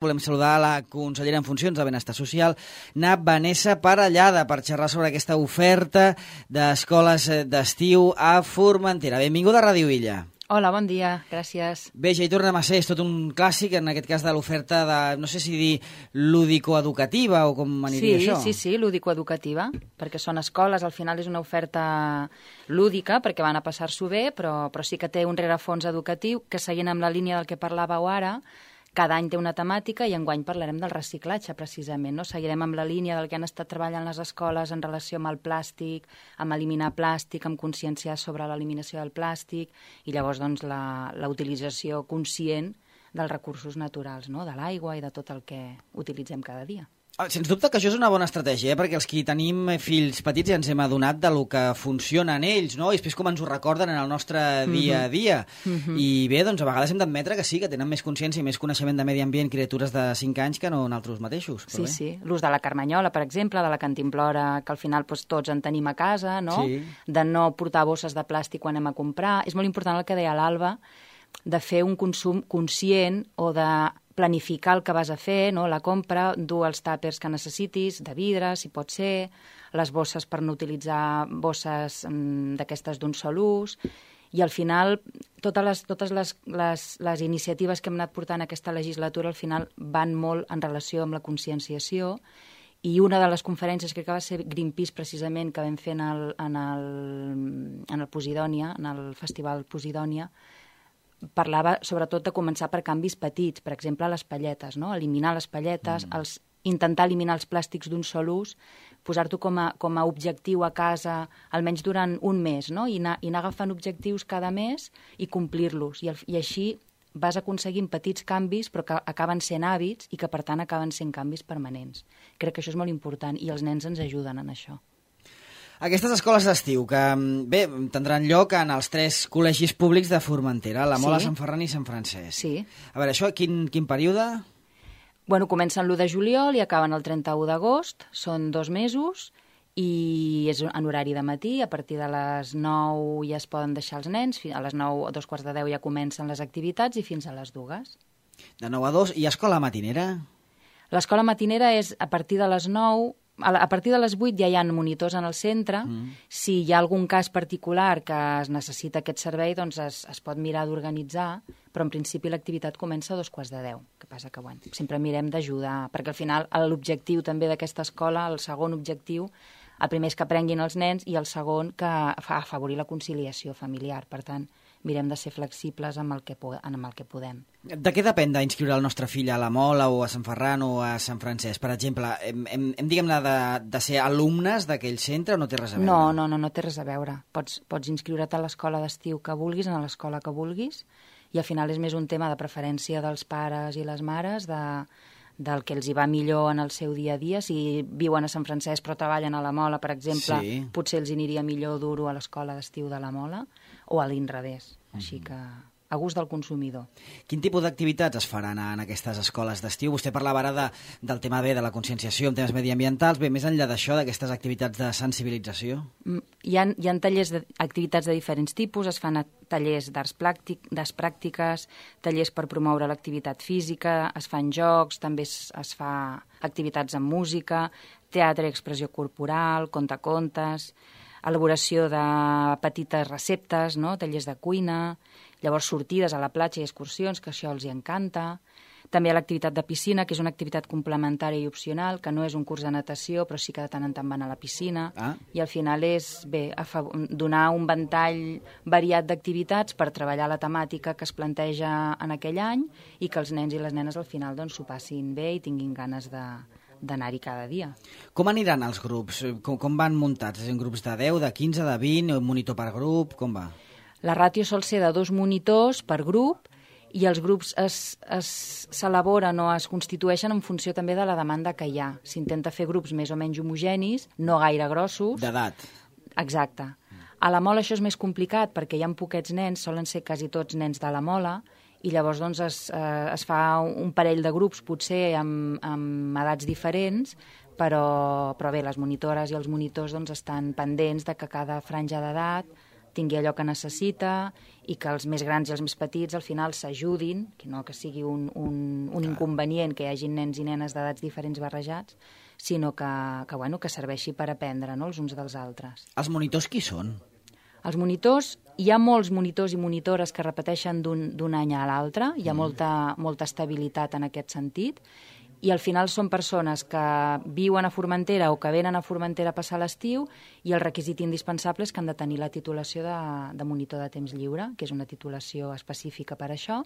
Volem saludar la consellera en funcions de Benestar Social, Vanessa Parellada, per xerrar sobre aquesta oferta d'escoles d'estiu a Formentera. Benvinguda a Ràdio Illa. Hola, bon dia, gràcies. Bé, ja hi tornem a ser, és tot un clàssic, en aquest cas de l'oferta de, no sé si dir lúdico-educativa o com aniria això. Sí, lúdico-educativa, perquè són escoles, al final és una oferta lúdica, perquè van a passar-s'ho bé, però sí que té un rerefons educatiu, que seguint amb la línia del que parlàveu ara, cada any té una temàtica i enguany parlarem del reciclatge, precisament. No? Seguirem amb la línia del que han estat treballant les escoles en relació amb el plàstic, amb eliminar plàstic, amb conscienciar sobre l'eliminació del plàstic i llavors doncs, la utilització conscient dels recursos naturals, no? De l'aigua i de tot el que utilitzem cada dia. Sens dubte que això és una bona estratègia, perquè els que tenim fills petits ja ens hem adonat de lo que funciona en ells, no? I després com ens ho recorden en el nostre dia a dia. I bé, doncs a vegades hem d'admetre que sí, que tenen més consciència i més coneixement de medi ambient criatures de 5 anys que no nosaltres mateixos. Sí. L'ús de la carmanyola, per exemple, de la cantimplora, que al final doncs, tots en tenim a casa, no? Sí. De no portar bosses de plàstic quan anem a comprar. És molt important el que deia l'Alba, de fer un consum conscient o de planificar el que vas a fer, no? La compra, dur els tàpers que necessitis, de vidre, si pot ser, les bosses per no utilitzar bosses d'aquestes d'un sol ús, i al final totes les iniciatives que hem anat portant aquesta legislatura al final van molt en relació amb la conscienciació, i una de les conferències que va ser Greenpeace precisament que vam fer en el Posidònia, en el Festival Posidònia, parlava sobretot de començar per canvis petits, per exemple les palletes, no? Eliminar les palletes, intentar eliminar els plàstics d'un sol ús, posar-t'ho com a objectiu a casa almenys durant un mes, no? I anar agafant objectius cada mes i complir-los, i així vas aconseguint petits canvis però que acaben sent hàbits i que per tant acaben sent canvis permanents. Crec que això és molt important i els nens ens ajuden en això. Aquestes escoles d'estiu, que bé, tindran lloc en els 3 col·legis públics de Formentera, la Mola, Sant Ferran i Sant Francesc. Sí. A veure, això, quin període? Bueno, comencen l'1 de juliol i acaben el 31 d'agost, són 2 mesos, i és en horari de matí, a partir de les 9 ja es poden deixar els nens, a les 9 o 9:45 ja comencen les activitats i fins a les 2. De 9 a 2, i escola matinera? L'escola matinera és a partir de les 9, a partir de les 8 ja hi ha monitors en el centre. Si hi ha algun cas particular que es necessita aquest servei, doncs es pot mirar d'organitzar, però en principi l'activitat comença a 9:45. Que passa que, bueno, sempre mirem d'ajudar, perquè al final l'objectiu també d'aquesta escola, el segon objectiu, el primer és que aprenguin els nens i el segon que afavorir la conciliació familiar. Per tant, mirem de ser flexibles amb el que podem. De què depèn d'inscriure el nostre fill a la Mola o a Sant Ferran o a Sant Francesc? Per exemple, hem diguem-ne, de ser alumnes d'aquell centre o no té res a veure? No té res a veure. Pots inscriure't a l'escola d'estiu que vulguis, a l'escola que vulguis, i al final és més un tema de preferència dels pares i les mares, del que els hi va millor en el seu dia a dia. Si viuen a Sant Francesc però treballen a la Mola, per exemple, potser els aniria millor dur-ho a l'escola d'estiu de la Mola o a l'inrevés. Així que a gust del consumidor. Quin tipus d'activitats es faran en aquestes escoles d'estiu? Vostè parlava ara del tema de la conscienciació en temes mediambientals. Bé, més enllà d'això, d'aquestes activitats de sensibilització? Hi ha tallers d'activitats de diferents tipus, es fan tallers d'arts pràctiques, tallers per promoure l'activitat física, es fan jocs, també es fa activitats amb música, teatre i expressió corporal, contacontes, elaboració de petites receptes, no? Tallers de cuina, llavors sortides a la platja i excursions, que això els hi encanta. També hi ha l'activitat de piscina, que és una activitat complementària i opcional, que no és un curs de natació, però sí que de tant en tant van a la piscina. I al final és donar un ventall variat d'activitats per treballar la temàtica que es planteja en aquell any i que els nens i les nenes al final s'ho passin bé i tinguin ganes d'anar-hi cada dia. Com aniran els grups? Com van muntats? En grups de 10, de 15, de 20, un monitor per grup? Com va? La ràtio sol ser de 2 monitors per grup i els grups s'elaboren o es constitueixen en funció també de la demanda que hi ha. S'intenta fer grups més o menys homogenis, no gaire grossos. D'edat. Exacte. A la Mola això és més complicat perquè hi ha poquets nens, solen ser quasi tots nens de la Mola, i llavors doncs, es fa un parell de grups, potser amb edats diferents, però bé, les monitores i els monitors doncs, estan pendents de que cada franja d'edat tingui allò que necessita i que els més grans i els més petits al final s'ajudin, que no que sigui un inconvenient que hi hagi nens i nenes d'edats diferents barrejats, sinó que serveixi per aprendre, no?, els uns dels altres. Els monitors qui són? Els monitors, hi ha molts monitors i monitores que repeteixen d'un any a l'altre, hi ha molta estabilitat en aquest sentit, i al final són persones que viuen a Formentera o que venen a Formentera a passar l'estiu i el requisit indispensable és que han de tenir la titulació de monitor de temps lliure, que és una titulació específica per això,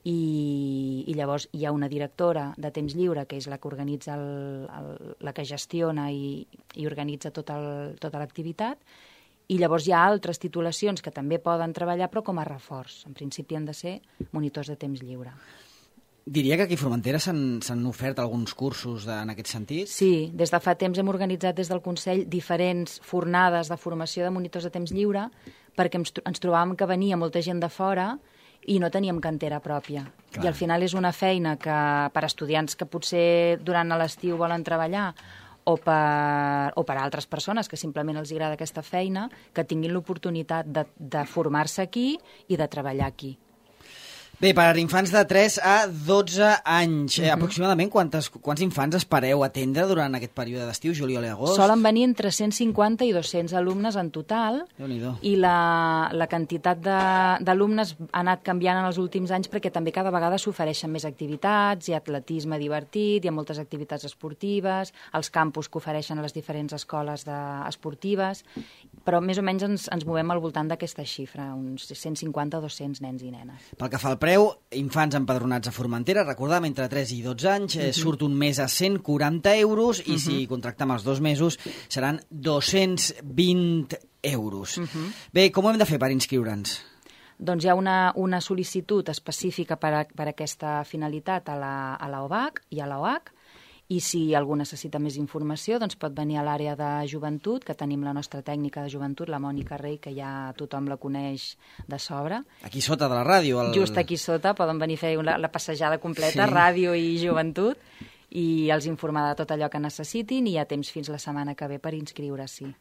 i llavors hi ha una directora de temps lliure, que és la que organitza, la que gestiona i organitza tota l'activitat, i llavors hi ha altres titulacions que també poden treballar, però com a reforç. En principi han de ser monitors de temps lliure. Diria que aquí a Formentera s'han ofert alguns cursos en aquest sentit? Sí, des de fa temps hem organitzat des del Consell diferents fornades de formació de monitors de temps lliure perquè ens trobàvem que venia molta gent de fora i no teníem cantera pròpia. Clar. I al final és una feina que per estudiants que potser durant l'estiu volen treballar o per altres persones que simplement els agrada aquesta feina, que tinguin l'oportunitat de formar-se aquí i de treballar aquí. Bé, per infants de 3 a 12 anys, aproximadament quants infants espereu atendre durant aquest període d'estiu, juliol i agost? Solen venir entre 150 i 200 alumnes en total, i la quantitat d'alumnes ha anat canviant en els últims anys perquè també cada vegada s'ofereixen més activitats, hi ha atletisme divertit, hi ha moltes activitats esportives, els campus que ofereixen a les diferents escoles esportives, però més o menys ens movem al voltant d'aquesta xifra, uns 150 o 200 nens i nenes. Pel que fa al preu, infants empadronats a Formentera, recordem, entre 3 i 12 anys, surt un mes a 140 euros i si contractem els 2 mesos seran 220 euros. Bé, com ho hem de fer per inscriure'ns? Doncs hi ha una sol·licitud específica per a aquesta finalitat a la OBAC i a la OAC, i si algú necessita més informació doncs pot venir a l'àrea de joventut, que tenim la nostra tècnica de joventut, la Mònica Rey, que ja tothom la coneix de sobre. Aquí sota de la ràdio. Just aquí sota, poden venir a fer la passejada completa, ràdio i joventut, i els informar de tot allò que necessitin, i hi ha temps fins la setmana que ve per inscriure-s'hi.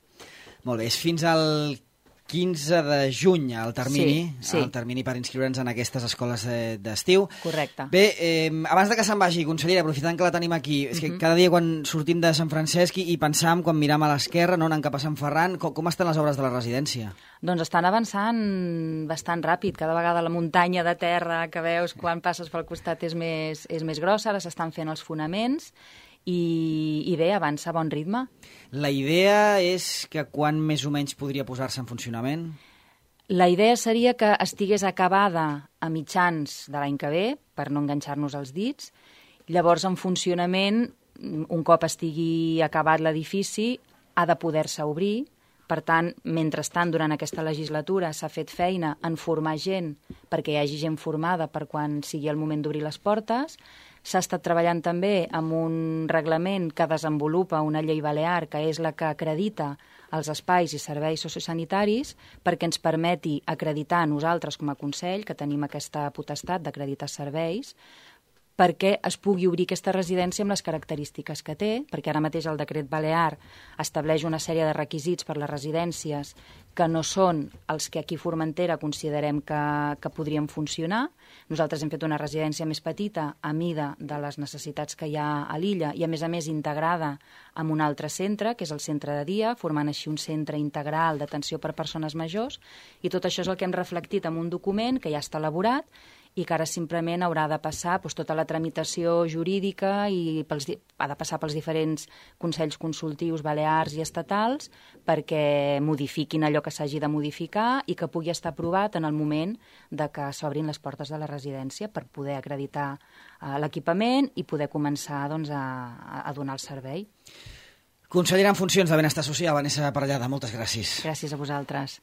Molt bé, és fins al 15 de juny el termini per inscriure'ns en aquestes escoles d'estiu. Correcte. Bé, abans de que se'n vagi, consellera, aprofitant que la tenim aquí, és que cada dia quan sortim de Sant Francesc i pensam, quan miram a l'esquerra, no, anant cap a Sant Ferran, com estan les obres de la residència? Doncs estan avançant bastant ràpid. Cada vegada la muntanya de terra que veus quan passes pel costat és més grossa, ara s'estan fent els fonaments, i bé, avança a bon ritme. La idea és que quan més o menys podria posar-se en funcionament? La idea seria que estigués acabada a mitjans de l'any que ve, per no enganxar-nos els dits. Llavors, en funcionament, un cop estigui acabat l'edifici, ha de poder-se obrir. Per tant, mentrestant, durant aquesta legislatura s'ha fet feina en formar gent perquè hi hagi gent formada per quan sigui el moment d'obrir les portes. S'ha estat treballant també amb un reglament que desenvolupa una llei balear, que és la que acredita els espais i serveis sociosanitaris, perquè ens permeti acreditar nosaltres com a Consell, que tenim aquesta potestat d'acreditar serveis, perquè es pugui obrir aquesta residència amb les característiques que té, perquè ara mateix el decret balear estableix una sèrie de requisits per les residències que no són els que aquí a Formentera considerem que podrien funcionar. Nosaltres hem fet una residència més petita a mida de les necessitats que hi ha a l'illa i, a més, integrada amb un altre centre, que és el centre de dia, formant així un centre integral d'atenció per persones majors, i tot això és el que hem reflectit en un document que ja està elaborat i que ara simplement haurà de passar tota la tramitació jurídica i ha de passar pels diferents consells consultius balears i estatals perquè modifiquin allò que s'hagi de modificar i que pugui estar aprovat en el moment de que s'obrin les portes de la residència per poder acreditar l'equipament i poder començar a donar el servei. Consellera en funcions de Benestar Social, Vanessa Parellada, moltes gràcies. Gràcies a vosaltres.